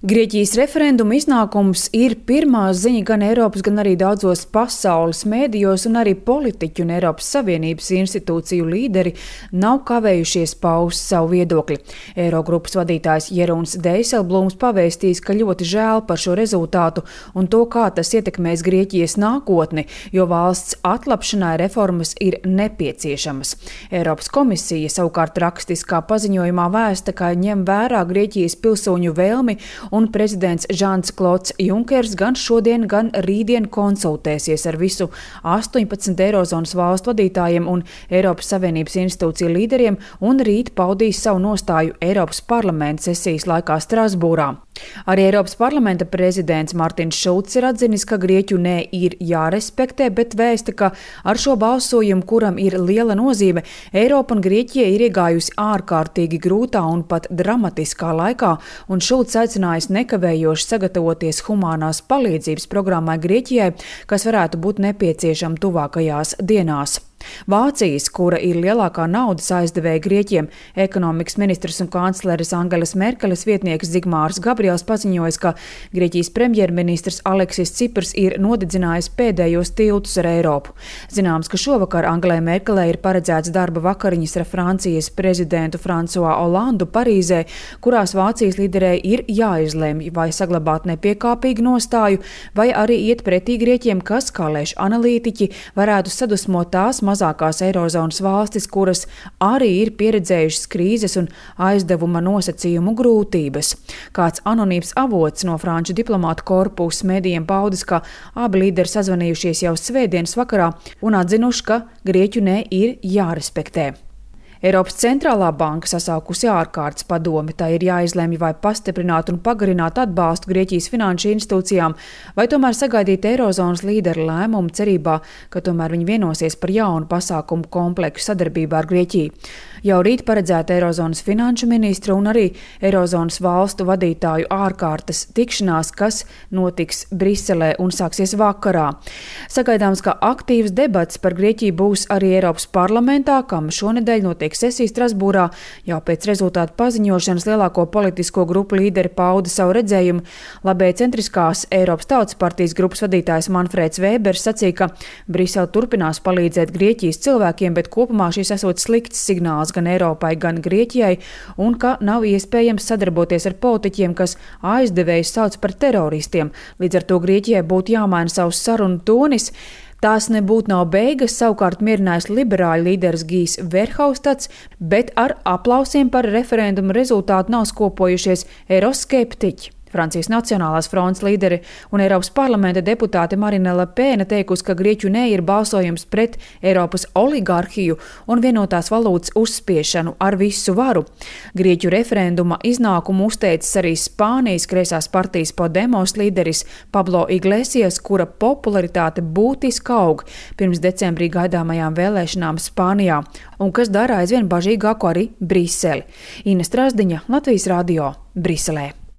Grieķijas referenduma iznākums ir pirmā ziņa gan Eiropas, gan arī daudzos pasaules mēdījos, un arī politiķu un Eiropas Savienības institūciju līderi nav kavējušies paust savu viedokli. Eirogrupas vadītājs Jeroens Dijsselbloems pavēstījis, ka ļoti žēl par šo rezultātu un to, kā tas ietekmēs Grieķijas nākotni, jo valsts atlapšanai reformas ir nepieciešamas. Eiropas komisija savukārt rakstiskā paziņojumā vēsta, ka ņem vērā Grieķijas pilsoņu vēlmi, un prezidents Žans Klods Junkers gan šodien, gan rītdien konsultēsies ar visu 18 Eirozonas valstu vadītājiem un Eiropas Savienības institūciju līderiem un rīt paudīs savu nostāju Eiropas parlamenta sesijas laikā Strasbūrā. Arī Eiropas parlamenta prezidents Martins Šulcs ir atzinis, ka Grieķu nē ir jārespektē, bet vēsta, ka ar šo balsojumu, kuram ir liela nozīme, Eiropa un Grieķija ir iegājusi ārkārtīgi grūtā un pat dramatiskā laikā, un Šulcs aicinājis nekavējoši sagatavoties humānās palīdzības programmai Grieķijai, kas varētu būt nepieciešama tuvākajās dienās. Vācijas, kura ir lielākā naudas aizdevēja Grieķiem, ekonomikas ministrs un kancleres Angelas Merkeles vietnieks Zigmārs Gabriels paziņoja, ka Grieķijas premjerministrs Aleksis Ciprs ir nodedzinājis pēdējos tiltus ar Eiropu. Zināms, ka šovakar Angelai Merkelei ir paredzēts darba vakariņas ar Francijas prezidentu Fransuā Olandu Parīzē, kurās Vācijas līderei ir jāizlemj, vai saglabāt nepiekāpīgu nostāju, vai arī iet pretī Grieķiem, kas, kā lēš analītiķi, varētu sadusmot tās mazākās Eirozonas valstis, kuras arī ir pieredzējušas krīzes un aizdevuma nosacījumu grūtības. Kāds anonīms avots no franču diplomātu korpusa medijiem paudis, ka abi līderi sazvanījušies jau svētdienas vakarā un atzinuši, ka Grieķu nē ir jārespektē. Eiropas centrālā banka sasaukusi ārkārtas padomi, tā ir jāizlemj, vai pastiprināt un pagarināt atbalstu Grieķijas finanšu institūcijām, vai tomēr sagaidīt Eirozonas līderu lēmumu cerībā, ka tomēr viņi vienosies par jaunu pasākumu kompleksu sadarbībā ar Grieķiju. Jau rīt paredzēta Eirozonas finanšu ministru un arī Eirozonas valstu vadītāju ārkārtas tikšanās, kas notiks Briselē un sāksies vakarā. Sagaidāms, ka aktīvs debats par Grieķiju būs arī Eiropas parlamentā, kam šonedēļ notiek sesija Strasbūrā. Jau pēc rezultātu paziņošanas lielāko politisko grupu līderi pauda savu redzējumu. Labējcentriskās Eiropas Tautas partijas grupas vadītājs Manfrēds Vēbers sacīja, ka Brisele turpinās palīdzēt Grieķijas cilvēkiem, bet kopumā šis esot slikts signāls gan Eiropai, gan Grieķijai, un ka nav iespējams sadarboties ar politiķiem, kas aizdevējus sauc par teroristiem. Līdz ar to Grieķijai būtu jāmaina savus sarunu tonis. Tās nebūtu nav beigas, savukārt mierinājis liberāļu līderis Gijs Verhofstadts, bet ar aplausiem par referendumu rezultātu nav skopojušies eiroskeptiķi. Francijas Nacionālās frontes līderi un Eiropas parlamenta deputāte Marine Le Pen teikusi, ka Grieķu nē ir balsojums pret Eiropas oligarhiju un vienotās valūtas uzspiešanu ar visu varu. Grieķu referenduma iznākumu uzteicis arī Spānijas kreisās partijas Podemos līderis Pablo Iglesias, kura popularitāte būtiski aug pirms decembrī gaidāmajām vēlēšanām Spānijā, un kas dara aizvien bažīgāku arī Briseli. Ina Strazdiņa, Latvijas radio, Briselē.